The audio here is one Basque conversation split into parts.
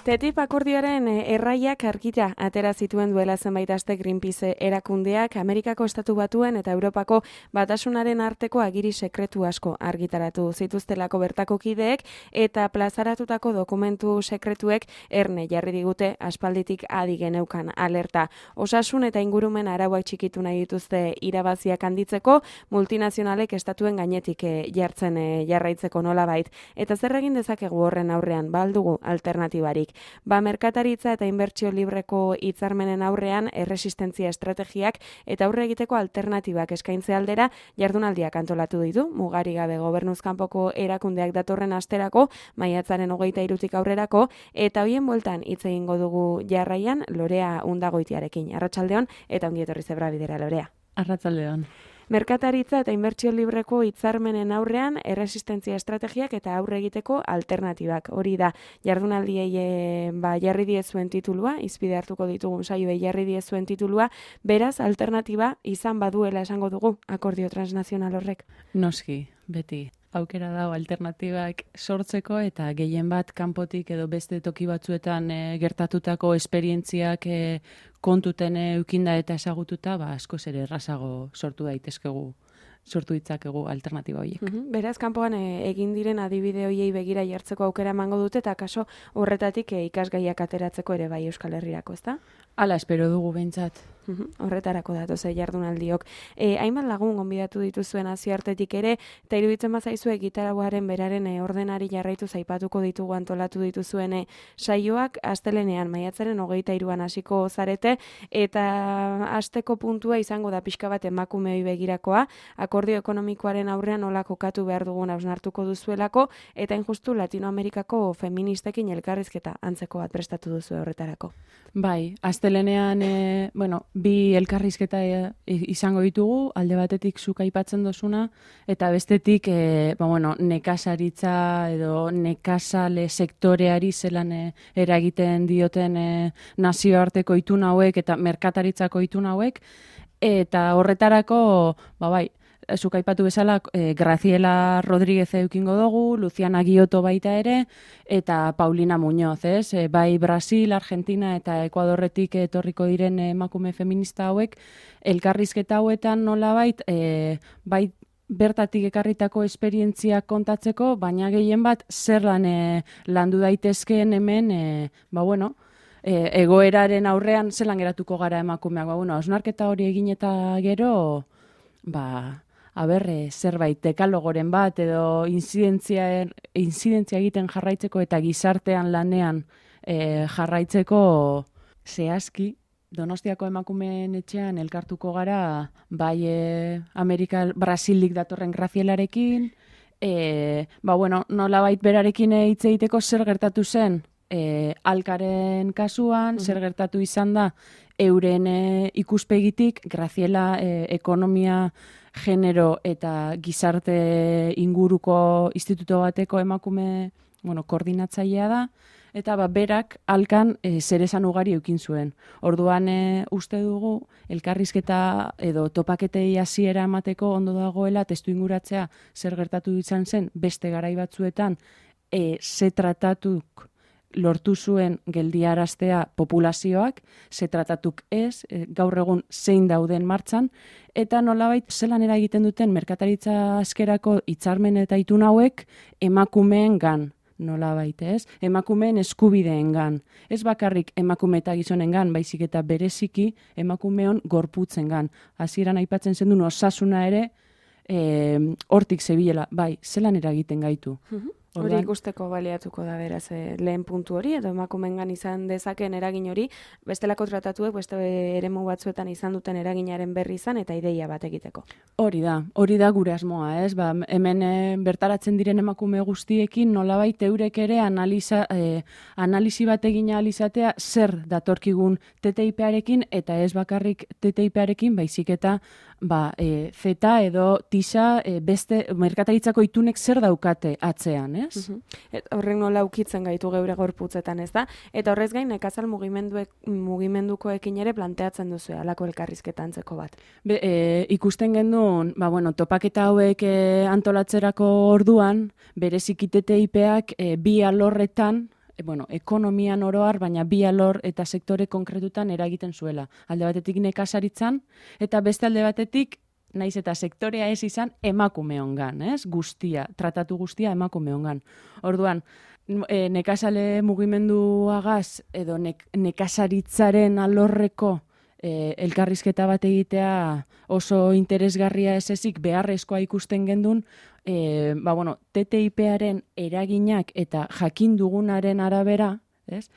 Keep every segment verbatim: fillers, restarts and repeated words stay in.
T T I P akordioaren erraiak argita atera zituen duela zenbait aste Greenpeace erakundeak Amerikako Estatu Batuen eta Europako Batasunaren arteko agiri sekretu asko argitaratu zituztelako bertako kideek eta plazaratutako dokumentu sekretuek erne jarri digute aspalditik adi geneukan alerta. Osasun eta ingurumen arauak txikitu nahi dituzte irabaziak handitzeko, multinazionalek estatuen gainetik jartzen jarraitzeko nolabait. Eta zer egin dezakegu horren aurrean, ba aldugu alternatibarik. Ba merkataritza eta inbertsio libreko hitzarmenen aurrean erresistentzia estrategiak eta aurre egiteko alternatibak eskaintze aldera jardunaldiak antolatu ditu, mugari gabe gobernuz kanpoko erakundeak datorren asterako, maiatzaren hogeita hirutik aurrerako, eta hoien bueltan hitz egingo dugu jarraian Lorea Undagoitiarekin. Arratsaldeon eta ongi etorri zebra bidera, Lorea. Arratsaldeon. Merkataritza eta inbertsio libreko hitzarmenen aurrean erresistentzia estrategiak eta aurre egiteko alternatibak. Hori da, jardunaldiei e, ba, jarri diezuen titulua, izpide hartuko ditugun saioei jarri diezuen titulua, beraz alternatiba izan baduela esango dugu akordio transnazional horrek. Noski, beti. Aukera dago alternatibak sortzeko eta gehien bat kanpotik edo beste toki batzuetan e, gertatutako esperientziak e, kontuten eukinda eta ezagututa, ba askoz ere errazago sortu daitezkegu, sortu ditzakegu alternatiba horiek. Uhum, beraz, kanpoan e, egin diren adibide horiei begira jartzeko aukera emango dute eta kaso horretatik e, ikasgaiak ateratzeko ere bai Euskal Herrirako, ezta? Hala espero dugu behintzat. Uhum, horretarako datoz jardunaldiok. E, hainbat lagun gonbidatu dituzuen nazioartetik ere, eta iruditzen bazaizue gitarauaren beraren e, ordenari jarraitu zaipatuko ditugu antolatu dituzuen e, saioak astelenean maiatzaren hogeita hiruan hasiko zarete, eta hasteko puntua izango da pixka bat emakumeoi begirakoa, akordio ekonomikoaren aurrean nola kokatu behar dugun hausnartuko duzuelako, eta injustu Latinoamerikako feministekin elkarrizketa antzeko bat prestatu duzu horretarako. Bai, astelenean, e, bueno, bi elkarrizketa e, izango ditugu, alde batetik zuk aipatzen dozuna, eta bestetik, e, ba, bueno, nekazaritza edo nekazale sektoreari zelan e, eragiten dioten e, nazioarteko itun hauek eta merkataritzako itun hauek, eta horretarako, ba bai, zuk aipatu bezala, e, Graciela Rodríguez eukingo dugu, Luciana Gioto baita ere, eta Paulina Muñoz, ez? E, bai Brasil, Argentina eta Ekuadorretik etorriko diren emakume feminista hauek, elkarrizketa hauetan nolabait, e, bai bertatik ekarritako esperientziak kontatzeko, baina gehien bat zer lan e, landu daitezkeen hemen, e, ba bueno, e, egoeraren aurrean zelan geratuko gara emakumeak, ba bueno, hausnarketa hori egin eta gero, ba Aber, e, zerbait dekalogoren bat edo inzidentzia, inzidentzia egiten jarraitzeko eta gizartean lanean e, jarraitzeko zehazki Donostiako emakumeen etxean elkartuko gara bai e, Amerika Brasilik datorren Gracielarekin, e, ba bueno, nolabait berarekin hitz egiteko zer gertatu zen e, Alkaren kasuan, zer gertatu izan da euren e, ikuspegitik Graciela e, ekonomia genero eta gizarte inguruko instituto bateko emakume, bueno, koordinatzailea da, eta ba, berak alkan e, zer esan ugari eukin zuen. Orduan e, uste dugu, elkarrizketa edo topaketei hasiera emateko ondo dagoela, testu inguratzea zer gertatu izan zen, beste garai batzuetan, e, ze tratatuk lortu zuen geldiaraztea populazioak, ze tratatuk ez, e, gaur egun zein dauden martxan, eta nolabait zelan eragiten duten merkataritza askerako hitzarmen eta itun hauek emakumeen gan, nolabait ez, emakumeen eskubideen gan. Ez bakarrik emakume eta gizonen gan, baizik eta bereziki emakumeon gorputzen gan. Hasieran aipatzen zen duen osasuna ere, e, hortik zebilela, bai, zelan eragiten gaitu. Hori ikusteko baliatuko da beraz e, lehen puntu hori, edo emakumengan izan dezakeen eragin hori, bestelako tratatuek, beste eremu batzuetan izan duten eraginaren berri izan eta ideia bat egiteko. Hori da, hori da gure asmoa, ez? Ba, hemen e, bertaratzen diren emakume guztiekin nolabait eurek ere analiza, e, analisi bat egin ahal izatea zer datorkigun T T I P-arekin eta ez bakarrik T T I P-arekin, baizik eta ba, e, zeta edo tisa e, beste merkataritzako itunek zer daukate atzean, ez? Uh-huh. Et, horrek nola ukitzen gaitu geure gorputzetan, ez da? Eta horrez gain, nekazal mugimenduek, mugimendukoekin ere planteatzen duzu halako elkarrizketa antzeko bat. Be, e, ikusten gendun, ba, bueno, topaketa hauek e, antolatzerako orduan, bereziki T T I P-ak e, bi alorretan e, bueno, ekonomian oroar, baina bi alor eta sektore konkretutan eragiten zuela. Alde batetik nekazaritzan, eta beste alde batetik, naiz eta sektorea ez izan, emakumeongan, ez? Guztia, tratatu guztia emakumeongan. Orduan, e, nekazale mugimenduagaz, edo nek, nekazaritzaren alorreko E, elkarrizketa bat egitea oso interesgarria ez ezik beharrezkoa ikusten gendun, e, ba, bueno, T T I P-aren eraginak eta jakin dugunaren arabera, ez?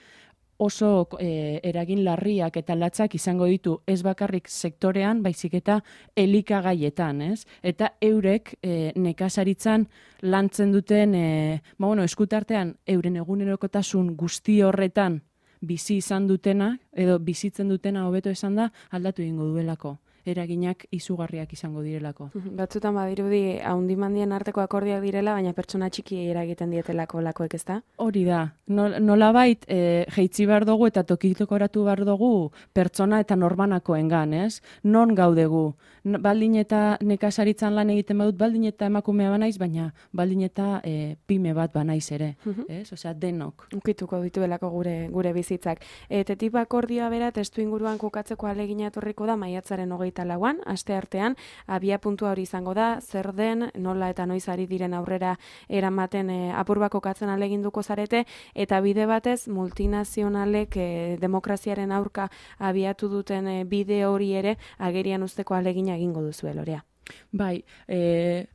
Oso e, eragin larriak eta latzak izango ditu ez bakarrik sektorean, baizik eta elikagaietan, ez? Eta eurek e, nekazaritzan lantzen duten, e, ba, bueno, eskutartean euren egunerokotasun guzti horretan bizi izan dutena, edo bizitzen dutena hobeto esan da, aldatu egingo duelako. Eraginak izugarriak izango direlako. Batzutan badirudi haundimandien arteko akordiak direla, baina pertsona txiki eragiten dietelako lakoek, ezta? Hori da. Nolabait e, jeitzi behar dugu eta tokitokoratu behar dugu pertsona eta norbanakoengan, ez? Non gaudegu? Baldin eta nekazaritzan lan egiten badut, baldin eta emakumea banaiz, baina baldin eta e, pime bat banaiz ere, ez? Osea, denok. Ukituko dituelako gure gure bizitzak. E, T T I P akordioa bera testu inguruan kokatzeko ahalegina etorriko da maiatzaren hogeita lauan, aste artean, abia puntua hori izango da, zer den, nola eta noiz ari diren aurrera eramaten e, apur kokatzen ahaleginduko zarete, eta bide batez multinazionalek e, demokraziaren aurka abiatu duten e, bide hori ere agerian usteko ahalegina egingo duzu, Lorea. Bai, eh...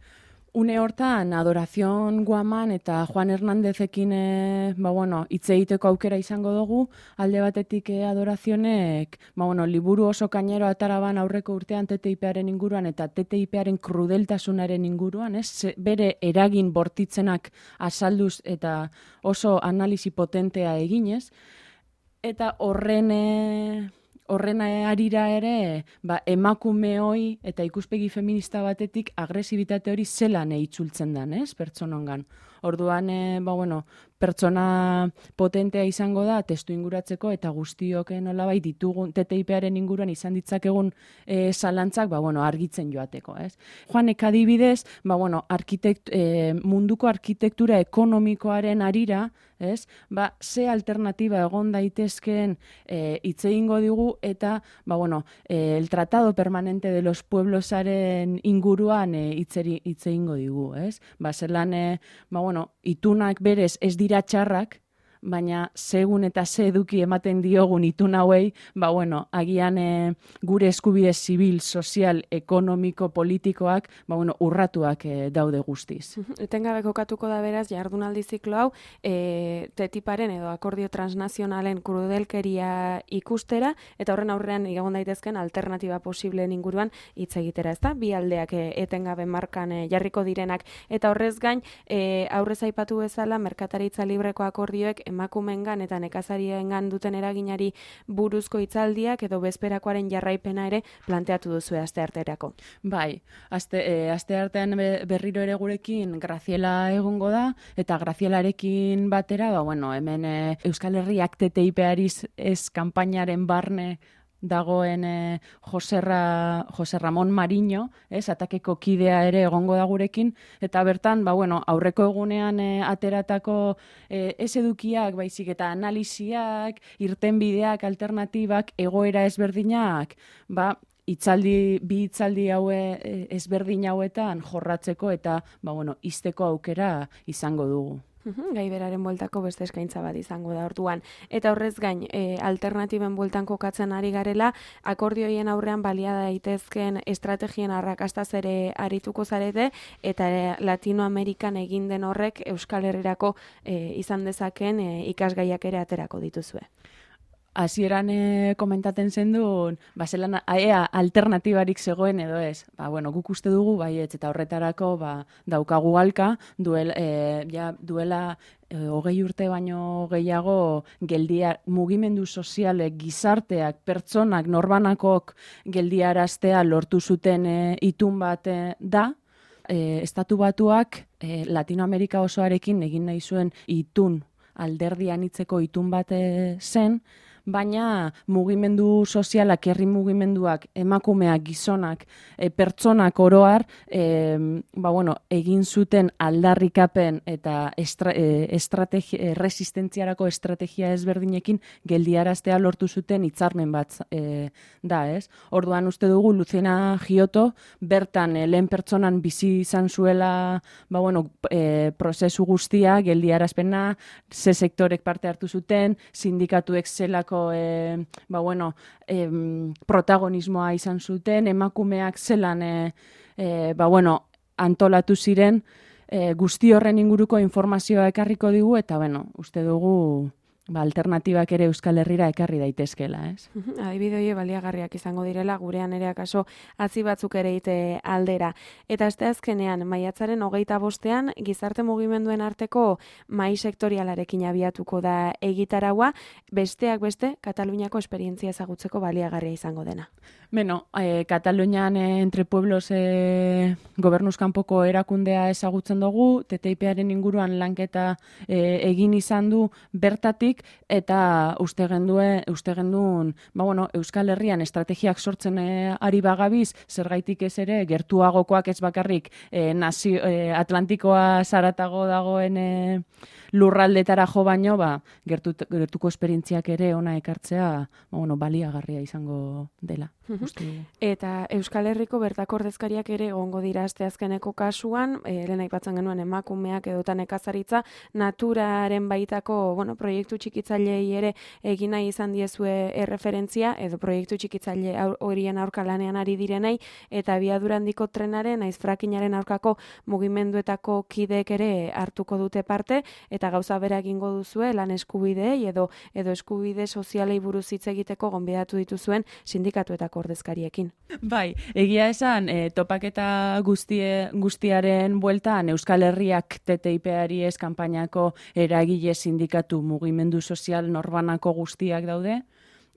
Une hortan, Adorazion Guaman eta Juan Hernandezekin e, ba, bueno, hitz egiteko aukera izango dugu, alde batetik e, Adorazionek ba, bueno, liburu oso kainero ataraban aurreko urtean T T I P-aren inguruan eta T T I P-aren krudeltasunaren inguruan, ez? Bere eragin bortitzenak azalduz eta oso analisi potentea eginez, eta horren... E, Horren arira ere, ba, emakumeoi eta ikuspegi feminista batetik agresibitate hori zelan itzultzen den, ez, pertsonongan. Orduan, e, ba, bueno, pertsona potentea izango da, testu inguratzeko eta guztiok nolabait ditugun T T I P-aren inguruan izan ditzakegun e, zalantzak, ba, bueno, argitzen joateko, ez. Juanek adibidez, ba, bueno, arkitekt, e, munduko arkitektura ekonomikoaren arira, ez, ba, ze alternatiba egon daitezkeen e, hitz egingo digu eta, ba, bueno, e, el Tratado Permanente de los Pueblosaren inguruan e, hitz egingo digu, ez. Ba, zelan, e, ba, bueno, itunak berez ez dira txarrak, baina segun eta ze eduki ematen diogun itun hauei, ba, bueno, agian e, gure eskubide zibil, sozial, ekonomiko, politikoak, ba, bueno, urratuak e, daude guztiz. Etengabe kokatuko da beraz, jardunaldi ziklo hau, e, T T I P-aren edo akordio transnazionalen krudelkeria ikustera, eta horren aurrean egon daitezken alternatiba posibleen inguruan hitz egitera, ezta? Bi aldeak e, etengabe markan e, jarriko direnak, eta horrez gain, e, aurrez aipatu bezala, merkataritza libreko akordioek emakumengan eta nekazariengan duten eraginari buruzko hitzaldiak edo bezperakoaren jarraipena ere planteatu duzu astearterako. Bai, aste e, asteartean berriro ere gurekin Graziela egongo da eta Grazielarekin batera, ba bueno, hemen e, Euskal Herriak T T I P-ari ez kanpainaren barne dagoen e, Joserra, Jose Ramon Mariño, ez, atakeko kidea ere egongo da gurekin, eta bertan, ba, bueno, aurreko egunean e, ateratako e, ez edukiak, baizik eta analisiak, irtenbideak, alternatibak, egoera ezberdinak, ba, itzaldi, bi itzaldi haue ezberdin hauetan jorratzeko eta, ba, bueno, izteko aukera izango dugu. Gai beraren bueltako beste eskaintza bat izango da orduan. Eta horrez gain, e, alternatiben bueltan kokatzen ari garela, akordioien aurrean balia daitezken estrategien arrakastaz ere arituko zarete, eta e, Latinoamerikan egin den horrek Euskal Herrirako e, izan dezaken e, ikasgaiak ere aterako dituzue. Hasieran e, komentaten zendun, ba, zelan ea alternatibarik zegoen edo ez. Ba, bueno, guk uste dugu, baietz, eta horretarako ba, daukagu alka, duel, e, ja, duela e, hogei urte baino gehiago geldia, mugimendu sozialek, gizarteak, pertsonak, norbanakok geldiaraztea lortu zuten e, itun bat e, da, e, Estatu Batuak e, Latinoamerika osoarekin egin nahi zuen itun alderdi anitzeko itun bat zen, baina mugimendu sozialak, herri mugimenduak, emakumeak, gizonak, e, pertsonak oroar, e, ba, bueno, egin zuten aldarrikapen eta estra, e, estrategi, e, resistentziarako estrategia ezberdinekin geldiaraztea lortu zuten hitzarmen bat e, da, ez? Orduan uste dugu Luciana Giotto bertan e, lehen pertsonan bizi izan zuela, ba, bueno, e, prozesu guztia, geldiarazpena, ze sektorek parte hartu zuten, sindikatuek zelako e, ba, bueno, e, protagonismoa izan zuten, emakumeak zelan e, e, ba, bueno, antolatu ziren, e, guzti horren inguruko informazioa ekarriko digu, eta bueno, uste dugu ba, alternatibak ere Euskal Herrira ekarri daitezkela, ez? Adibide hori baliagarriak izango direla, gurean ere akaso atzi batzuk ere ite aldera. Eta este azkenean, maiatzaren hogeita bostean, gizarte mugimenduen arteko mai sektorialarekin abiatuko da egitaraua, besteak beste, Kataluniako esperientzia ezagutzeko baliagarria izango dena. Beno, eh, Katalunian eh, entre pueblos eh, gobernuz kanpoko erakundea ezagutzen dugu, T T I P-aren inguruan lanketa eh, egin izan du bertatik, eta uste genduen, uste genduen, ba, bueno, Euskal Herrian estrategiak sortzen eh, ari bagabiz, zergaitik ez ere, gertuagokoak ez bakarrik eh, nazio, eh, Atlantikoa zaratago dagoen eh, lurraldetara jo baino, ba, gertu, gertuko esperientziak ere ona ekartzea, ba, bueno, baliagarria izango dela. Eta Euskal Herriko bertako ordezkariak ere egongo dira asteazkeneko kasuan, e, lehen aipatzen genuen emakumeak edota nekazaritza, naturaren baitako, bueno, proiektu txikitzailei ere egin nahi izan diezue erreferentzia, edo proiektu txikitzaile horien aurka lanean ari direnei, eta abiadura handiko trenaren, naiz frackingaren aurkako mugimenduetako kideek ere hartuko dute parte, eta gauza bera egingo duzue lan eskubideei edo edo eskubide sozialei buruz hitz egiteko gonbidatu dituzuen sindikatuetako ordezkariekin. Bai, egia esan, e, topaketa guztie, guztiaren bueltan Euskal Herriak T T I P-ari ez kanpainako eragile sindikatu mugimendu sozial norbanako guztiak daude,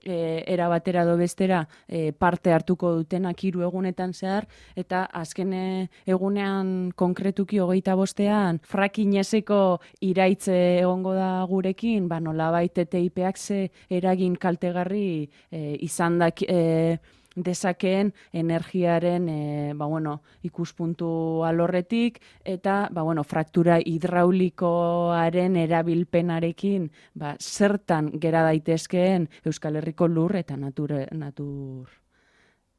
E, era batera do bestera e, parte hartuko dutenak hiru egunetan zehar, eta azken egunean konkretuki hogeita bostean frackingezeko iraitze egongo da gurekin, ba nolabait T T I P-ak ze eragin kaltegarri e, izan da e, dezakeen energiaren e, ba, bueno, ikuspuntu alorretik, eta ba, bueno, fraktura hidraulikoaren erabilpenarekin ba, zertan gera daitezkeen Euskal Herriko lur eta natur, natur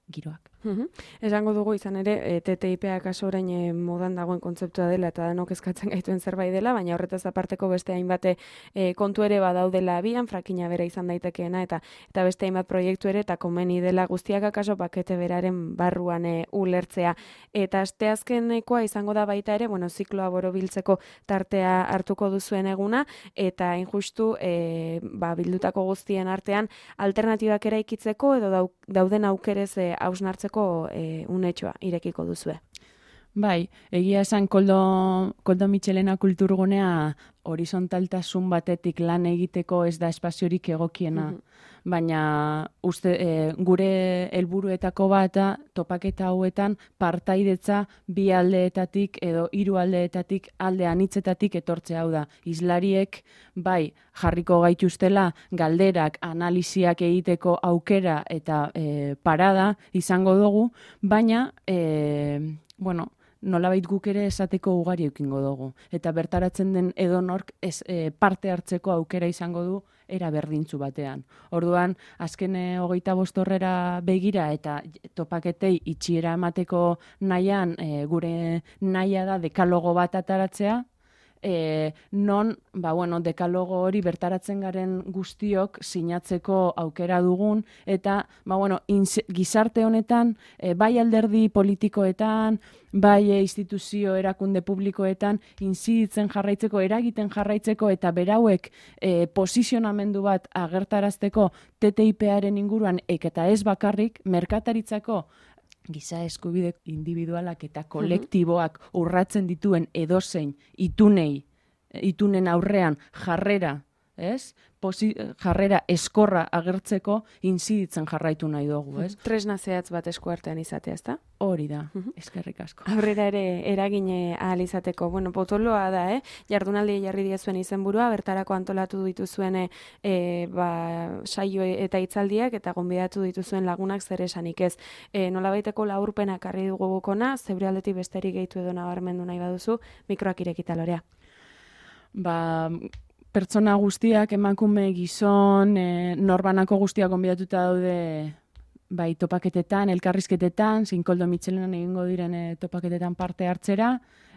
giroak. Uhum. Esango dugu izan ere, e, T T I P-a kaso orain e, modan dagoen kontzeptua dela eta danok eskatzen gaituen zerbait dela, baina horretaz aparteko beste hainbate e, kontu ere badaudela abian, frakina bera izan daitekeena, eta eta beste hainbat proiektu ere, eta komeni dela guztiak akaso pakete beraren barruan e, ulertzea. Eta asteazkenekoa izango da baita ere, bueno, zikloa borobiltzeko tartea hartuko duzuen eguna, eta injustu e, ba, bildutako guztien artean alternatibak eraikitzeko edo dau, dauden aukerez e, hausnartzeko E, unetxoa irekiko duzue. Bai, egia esan Koldo, Koldo Mitxelena kulturgunea horizontaltasun batetik lan egiteko ez da espaziorik egokiena. Mm-hmm. Baina uste, e, gure helburuetako bat topaketa hauetan partaidetza bi aldeetatik edo hiru aldeetatik alde anitzetatik etortzea, hau da. Islariek bai jarriko gaituztela galderak, analiziak egiteko aukera eta e, parada izango dugu, baina e, bueno, nolabait guk ere esateko ugari eukingo dugu. Eta bertaratzen den edonork ez, e, parte hartzeko aukera izango du era berdintzu batean. Orduan, azken hogeita bost horrera begira eta topaketei itxiera emateko nahian, e, gure nahia da dekalogo bat ataratzea, E, non, ba, bueno, dekalogo hori bertaratzen garen guztiok sinatzeko aukera dugun, eta ba, bueno, inz, gizarte honetan, e, bai alderdi politikoetan, bai e, instituzio erakunde publikoetan, inziditzen jarraitzeko, eragiten jarraitzeko, eta berauek e, posizionamendu bat agertarazteko T T I P-aren inguruan, eta ez bakarrik, merkataritzako giza eskubide individualak eta kolektiboak urratzen dituen edozein itunei, itunen aurrean jarrera ez? Posi, jarrera eskorra agertzeko inziditzen jarraitu nahi dugu, ez? Tresna zehatz bat eskuartean izatea, ezta? Hori da, eskerrik asko. Aurrera ere eragine ahal izateko. Bueno, potoloa da, eh? Jardunaldi jarri diezuen izenburua, bertarako antolatu dituzuen e, ba, saio eta hitzaldiak eta gonbidatu dituzuen lagunak zer esanik ez. E, nolabaiteko laurpenak harri dugu gukona, zeure aldetik besterik gehitu edo nabarmendu nahi baduzu, mikroak irekita Lorea. Ba, pertsona guztiak, emakume, gizon, e, norbanako guztiak gonbidatuta daude bai topaketetan, elkarrizketetan, Zinkoldo Mitxelenan egingo diren e, topaketetan parte hartzera,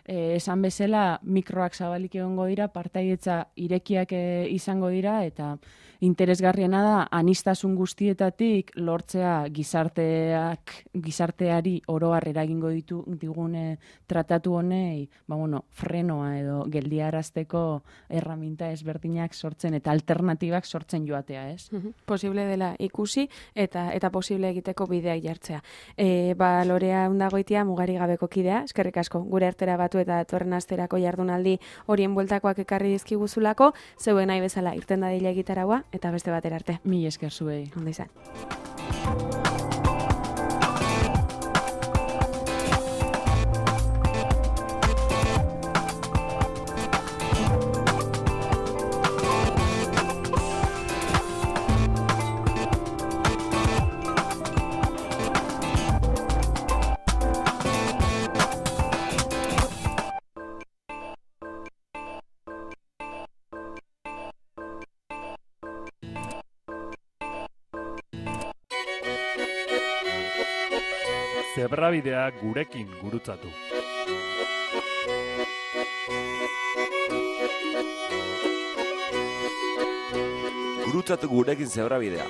e, esan bezala mikroak zabalik egongo dira, partaietza irekiak e, izango dira, eta interesgarriena da, anistasun guztietatik lortzea gizarteak, gizarteari oroar eragingo ditu digune tratatu honei, ba bueno, frenoa edo geldiarazteko erraminta ezberdinak sortzen eta alternatibak sortzen joatea, ez? Posible dela ikusi eta eta posible egiteko bideak jartzea. E, ba, Lorea Undagoitia mugari gabeko kidea, eskerrik asko, gure artera batu eta datorren asterako jardunaldi horien bueltakoak ekarri dizkiguzulako, zeuen nahi bezala irten dadila egitaraua, eta beste batera arte. Mil esker zuei. Ondo izan. Zebrabidea gurekin gurutzatu. Gurutzatu gurekin zebrabidea.